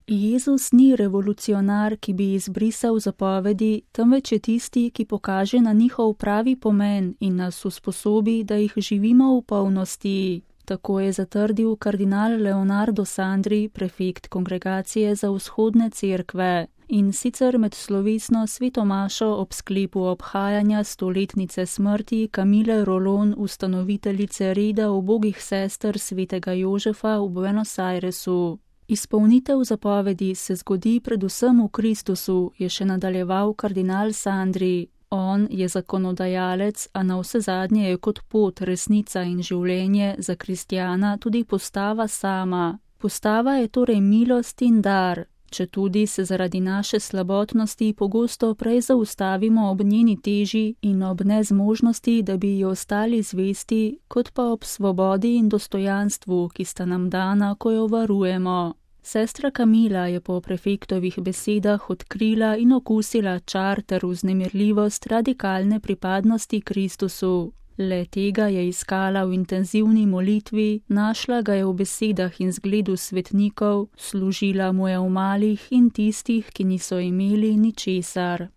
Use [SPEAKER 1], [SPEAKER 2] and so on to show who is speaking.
[SPEAKER 1] Jezus ni revolucionar, ki bi izbrisal zapovedi, temveč je tisti, ki pokaže na njihov pravi pomen in nas usposobi, da jih živimo v polnosti. Tako je zatrdil kardinal Leonardo Sandri, prefekt Kongregacije za vzhodne cerkve. In sicer med slovesno sveto mašo ob sklepu obhajanja 100-letnice smrti Camille Rolon, ustanoviteljice reda ubogih sester svetega Jožefa v Buenos Airesu. Izpolnitev zapovedi se zgodi predvsem v Kristusu, je še nadaljeval kardinal Sandri. On je zakonodajalec, a navsezadnje je kot pot, resnica in življenje za kristjana tudi postava sama. Postava je torej milost in dar. Četudi se zaradi naše slabotnosti pogosto prej zaustavimo ob njeni teži in ob nezmožnosti, da bi ji ostali zvesti, kot pa ob svobodi in dostojanstvu, ki sta nam dana, ko jo varujemo. Sestra Camila je po prefektovih besedah odkrila in okusila čar ter vznemirljivost radikalne pripadnosti Kristusu. Le tega je iskala v intenzivni molitvi, našla ga je v besedah in zgledu svetnikov, služila mu je v malih in tistih, ki niso imeli ničesar.